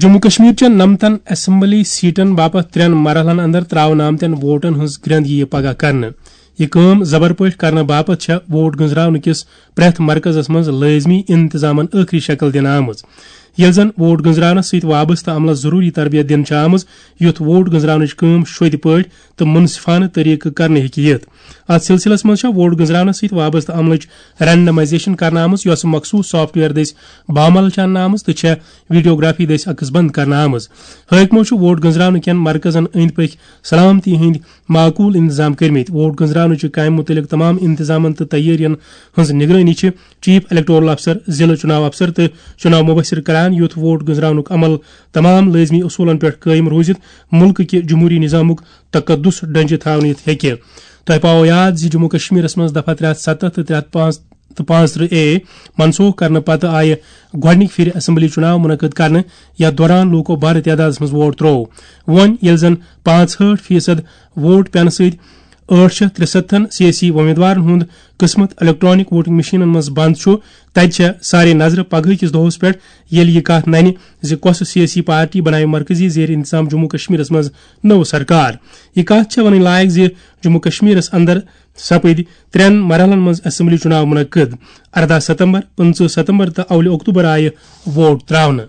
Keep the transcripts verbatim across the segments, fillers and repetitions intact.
جموں کشمیر چٮ۪ن نَمتَن assembly Satan باپتھ ترٛٮ۪ن مرحلن اندر تراونہٕ آمتٮ۪ن ووٹن ہٕنٛز گرٛنٛد یِیہِ پگاہ کرنہٕ۔ یہِ کٲم زبر پٲٹھۍ کرنہٕ باپتھ چھےٚ ووٹ گنٛزراونہٕ کِس پرٛٮ۪تھ مرکزس منٛز لٲزمی انتظامن ٲخری شکل دِنہٕ آمٕژ۔ ییٚلہِ زن ووٹ گنٛزراونس سۭتۍ وابستہٕ عملس ضروٗری تربیت دِنہٕ چھےٚ آمٕژ، یُتھ ووٹ گنٛزراونٕچ کٲم شوٚدِ پٲٹھۍ تہٕ منصفانہٕ طریقہٕ کرنہٕ ہیٚکہِ یِتھ۔ اتھ سلسلس منٛز چھےٚ ووٹ گنٛزراونس سۭتۍ وابستہٕ عملٕچ رینڈمائزیشن کرنہٕ آمٕژ، یۄسہٕ مخصوص سافٹ ویئر دٔسۍ بامعلل چھِ اننہٕ آمٕژ تہٕ چھےٚ ویڈیوگرافی دٔسۍ عکس بند کرنہٕ آمٕژ۔ حٲکمو چھُ ووٹ گنٛزراونہٕ کٮ۪ن مرکزن أنٛدۍ پٔکۍ سلامتی ہٕنٛدۍ معقول انتظام کٔرمٕتۍ۔ ووٹ گنٛزراونہٕ چہِ کامہِ مُتعلق تمام انتظامن تہٕ تیٲرین ہٕنٛز نگرٲنی چھِ چیف الیکٹورل افسر، ضلع چُناو افسر تہٕ چُناو مبصر کران، یُتھ ووٹ گنٛزراونُک عمل تمام لٲزمی اصوٗلن پٮ۪ٹھ قٲیِم روٗزِتھ مُلکہٕ کہِ جمہوٗری نظامُک تقدس ڈنجہِ تھاونہٕ یِتھ ہیٚکہِ۔ تۄہہِ پاوو یاد زِ جموں کشمیرس منٛز دفعہ ترٛےٚ ہتھ ستتھ تہٕ ترٛےٚ ہتھ پانٛژھ تہٕ پانٛژترٕہ اے منسوخ کرنہٕ پتہٕ آیہِ گۄڈٕنِکۍ پھِرِ اسمبلی چُناو منعقد کرنہٕ، یتھ دوران لوٗکو بارٕ تعدادس منٛز ووٹ تروو۔ وۄنۍ ییٚلہِ زن پانٛژہٲٹھ فیصد ووٹ پینہٕ سۭتۍ ٲٹھ شیٚتھ ترٛسَتتھن سیٲسی وۄمیدوارن ہُنٛد قٕسمت الیکٹرانک ووٹنگ مشینن منٛز بند چھُ، تتہِ چھےٚ سارے نظرٕ پگہٕکِس دۄہس پٮ۪ٹھ، ییٚلہِ یہِ کتھ ننہِ زِ کۄسہٕ سیٲسی پارٹی بناوِ مرکزی زیر انتظام جموں کشمیرس منٛز نٔو سرکار۔ یہِ کتھ چھےٚ ونٕنۍ لایق زِ جموں کشمیرس اندر سپٕدۍ ترٛٮ۪ن مرحلن منٛز اسمبلی چُناو منعقد۔ ارداہ ستمبر، پٕنٛژٕہ ستمبر تہٕ اولہِ اکتوبر آیہِ ووٹ تراونہٕ۔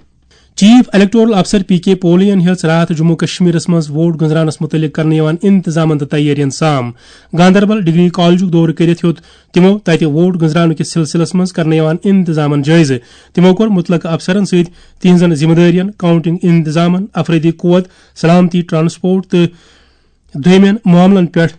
چیف الیکٹورل افسر پی کے پولین ہیٚژ راتھ جموں کشمیرس منٛز ووٹ گنٛزراونس مُتعلق کرنہٕ یِوان انتظامن تہٕ تیٲرین سام۔ گاندربل ڈگری کالجُک دورٕ کٔرِتھ ہیوٚت تِمو تتہِ ووٹ گنٛزراونہٕ کِس سلسلس منٛز کرنہٕ یِوان انتظامن جٲیزٕ۔ تِمو کوٚر مُتلقہٕ افسرن سۭتۍ تِہنٛزن ذمہٕ دٲرین، کاؤنٹنگ انتظامن، افرٲدی قوت، سلامتی، ٹرانسپورٹ تہٕ دوٚیمٮ۪ن معاملن پٮ۪ٹھ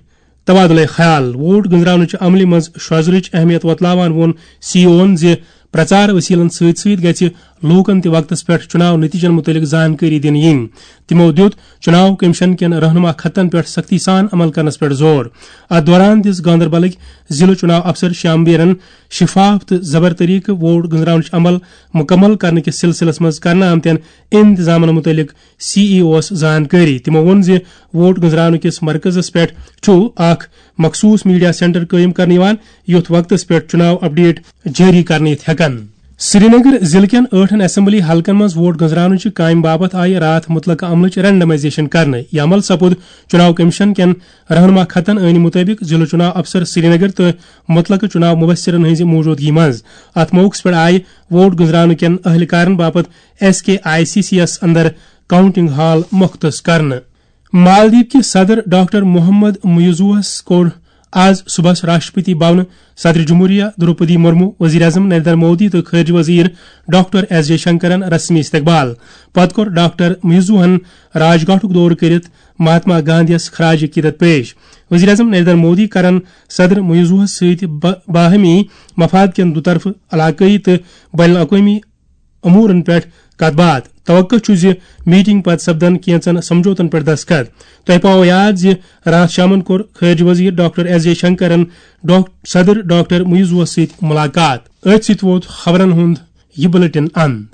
تبادلہ خیال۔ ووٹ گنٛزراونٕچہِ عملہِ منٛز شرٛۄزرٕچ اہمیت وۄتلاوان ووٚن سی او ہن زِ پرچار وسیلن سۭتۍ سۭتۍ گژھِ لوٗکن تہِ وقتس پٮ۪ٹھ چُناو نتیجن مُتعلق زانکٲری دِنہٕ یِنۍ۔ تِمو دِیُت چُناو کمیشن کٮ۪ن رہنما خطن پٮ۪ٹھ سختی سان عمل کرنس پٮ۪ٹھ زور۔ اتھ دوران دِژ گاندربلٕکۍ ضلع چُناو افسر شیام بیرن شفاف تہٕ زبر طریقہٕ ووٹ گنٛزراونٕچ عمل مُکمل کرنہٕ کِس سلسلس منٛز کرنہٕ آمتٮ۪ن انتظامن مُتعلق سی ای اوس زانکٲری۔ تِمو ووٚن زِ ووٹ گنٛزراونہٕ کِس مرکزس پٮ۪ٹھ چھُ اکھ مخصوص میڈیا سینٹر قٲیِم کرنہٕ یِوان، یُتھ وقتس پٮ۪ٹھ چُناو اپڈیٹ جٲری کرنہٕ یِتھ ہٮ۪کن۔ سرینگر ضلعہٕ کٮ۪ن ٲٹھن اسمبلی حلقن منٛز ووٹ گنٛزراونٕچہِ کامہِ باپتھ آیہِ راتھ مُتلقہٕ عملٕچ رینڈمائزیشن کرنہٕ۔ یہِ عمل سپُد چُناو کمیشن کٮ۪ن رہنما خطن عٲنی مُطٲبِق ضلع چُناو افسر سرینگر تہٕ مُتلقہٕ چُناو مبصرن ہٕنٛزِ موجودگی منٛز۔ اتھ موقعس پٮ۪ٹھ آیہِ ووٹ گنٛزراونہٕ کٮ۪ن اہلکارن باپتھ S K I C C یس اندر کاؤنٹنگ ہال مختص کرنہٕ۔ مالدیپ کہِ صدر ڈاکٹر محمد معیزوہس کوٚر آز صبحس راشٹرپتی بھونہٕ صدر جمہوریہ دروپدی مرمو، وزیر اعظم نریندر مودی تہٕ خارجہ وزیر ڈاکٹر ایس جے شنکرن رسمی استقبال۔ پتہٕ کوٚر ڈاکٹر معیزوہن راج گھاٹُک دورٕ کٔرِتھ مہاتما گاندھیَس خراج عقیدت پیش۔ وزیر اعظم نریندر مودی کرن صدر معیزوہس سۭتۍ با-، باہمی مفاد کٮ۪ن دُطرفہٕ، علاقٲیی تہٕ بین الاقوٲمی امورن پٮ۪ٹھ کتھ باتھ۔ توقع چھُ زِ میٹنگ پتہٕ سپدن کینژن سمجھوتن پٮ۪ٹھ دستخط۔ تۄہہِ پاوو یاد زِ راتھ شامن کوٚر خارجہ وزیر ڈاکٹر ایس جے شنکرن ڈاک-، صدر ڈاکٹر معیزوس سۭتۍ ملاقات۔ أتھۍ سۭتۍ ووت خبرن ہُنٛد یہِ بلیٹن اند۔